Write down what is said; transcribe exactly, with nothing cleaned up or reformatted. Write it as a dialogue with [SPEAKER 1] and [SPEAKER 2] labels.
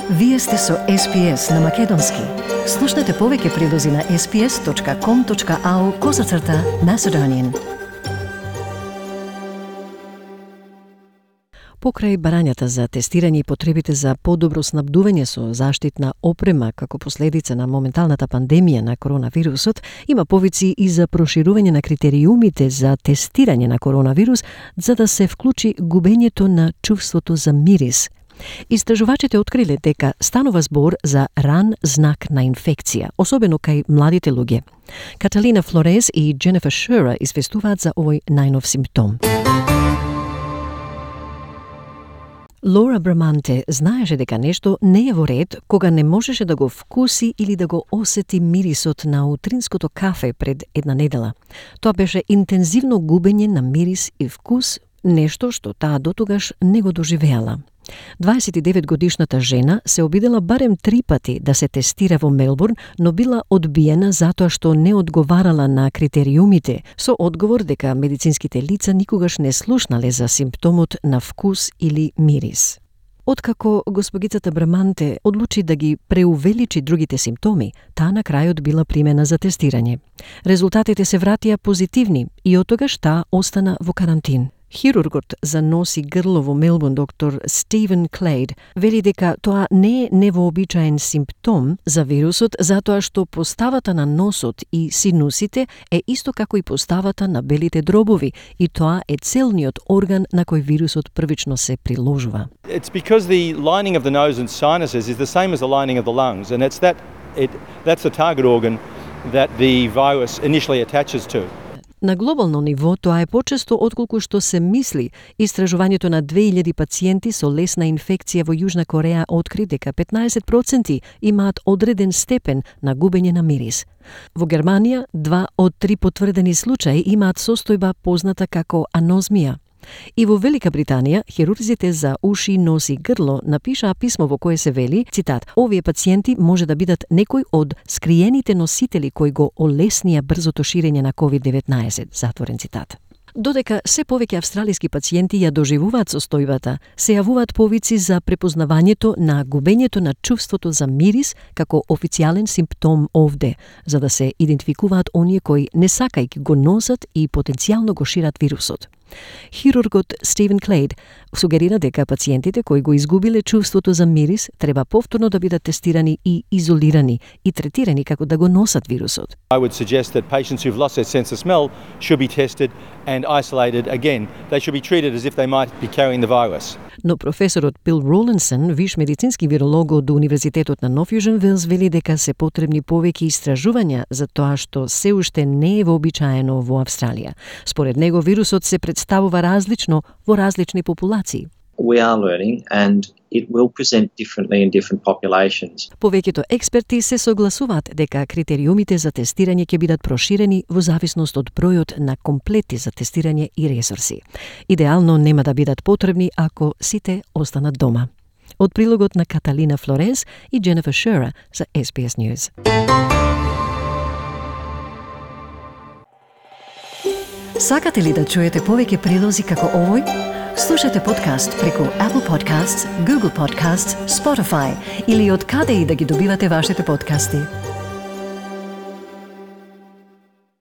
[SPEAKER 1] Вие сте со Ес Би Ес на Македонски. Слушнете повеќе прилози на ес би ес точка ком точка ау козацрта Macedonian. Покрај барањата за тестирање и потребите за подобро снабдување со заштитна опрема како последица на моменталната пандемија на коронавирусот, има повици и за проширување на критериумите за тестирање на коронавирус за да се вклучи губењето на чувството за мирис. Истражувачите откриле дека станува збор за ран знак на инфекција, особено кај младите луѓе. Каталина Флорес и Дженефер Шера известуваат за овој најнов симптом. Лора Браманте знаеше дека нешто не е во ред кога не можеше да го вкуси или да го осети мирисот на утринското кафе пред една недела. Тоа беше интензивно губење на мирис и вкус, нешто што таа дотогаш не го доживеала. дваесет и девет годишната жена се обидела барем три пати да се тестира во Мелбурн, но била одбиена затоа што не одговарала на критериумите, со одговор дека медицинските лица никогаш не слушнале за симптомот на вкус или мирис. Откако госпогицата Браманте одлучи да ги преувеличи другите симптоми, таа на крајот била примена за тестирање. Резултатите се вратија позитивни и оттогаш таа остана во карантин. Хирургот за нос и грло во Мелбурн, доктор Стивен Клейд, вели дека тоа не е невообичаен симптом за вирусот, затоа што поставата на носот и синусите е исто како и поставата на белите дробови, и тоа е целниот орган на кој вирусот првично се приложува.
[SPEAKER 2] It's because the lining of the nose and sinuses is the same as the lining of the lungs, and it's that it that's the target organ that the virus initially attaches to.
[SPEAKER 1] На глобално ниво тоа е почесто отколку што се мисли. Истражувањето на две илјади пациенти со лесна инфекција во Јужна Кореја откри дека петнаесет проценти имаат одреден степен на губење на мирис. Во Германија, два од три потврдени случаи имаат состојба позната како анозмија. И во Велика Британија, хирурзите за уши, нос и грло напишаа писмо во кое се вели, цитат, овие пациенти може да бидат некои од скриените носители кои го олеснија брзото ширење на ковид деветнаесет, затворен цитат. Додека се повеќе австралиски пациенти ја доживуваат состојбата, се јавуваат повици за препознавањето на губењето на чувството за мирис како официјален симптом овде, за да се идентификуваат оние кои не сакајќи го носат и потенцијално го шират вирусот. Хирургот Стивен Клейд сугерира дека пациентите кои го изгубиле чувството за мирис треба повторно да бидат тестирани и изолирани и третирани како да го носат вирусот.
[SPEAKER 2] I would suggest that patients who've lost their sense of smell should be tested and isolated again. They should be treated as if they might be carrying the virus.
[SPEAKER 1] Но професорот Бил Ролинсон, виш медицински виролог од Универзитетот на Нов Јужен Велс, вели дека се потребни повеќе истражувања за тоа што се уште не е вообичаено во Австралија. Според него вирусот се представува различно во различни популации.
[SPEAKER 3] We are learning and it will present differently in different populations.
[SPEAKER 1] Повеќето експерти се согласуваат дека критериумите за тестирање ќе бидат проширени во зависност од бројот на комплети за тестирање и ресурси. Идеално нема да бидат потребни ако сите останат дома. Од прилогот на Каталина Флорес и Дженефер Шера за Ес Би Ес News. Сакате ли да чуете повеќе прилози како овој? Слушате подкаст преку Apple Podcasts, Google Podcasts, Spotify или од каде и да ги добивате вашите подкасти.